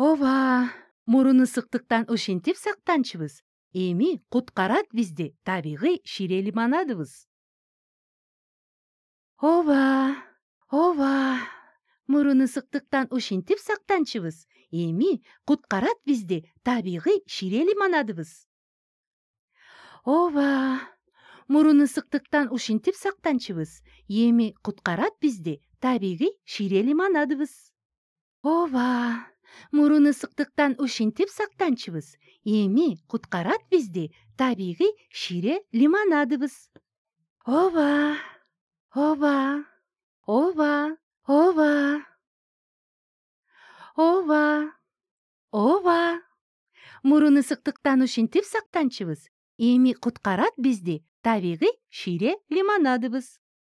Ооба, мурун ысыктыктан ушинтип сактанчыбыз. Эми куткарат бизди табигый шире лимонадыбыз. Ооба, мурун ысыктыктан ушинтип сактанчыбыз. Эми куткарат бизди табигый шире лимонадыбыз. Ооба, мурун ысыктыктан ушинтип сактанчыбыз. Эми куткарат бизди табигый шире лимонадыбыз. Ооба, мурун ысыктыктан ушинтип сактанчыбыз. Эми куткарат бизди табигый шире лимонадыбыз. Ооба, мурун ысыктыктан ушинтип сактанчыбыз. Эми куткарат бизди табигый шире лимонадыбыз.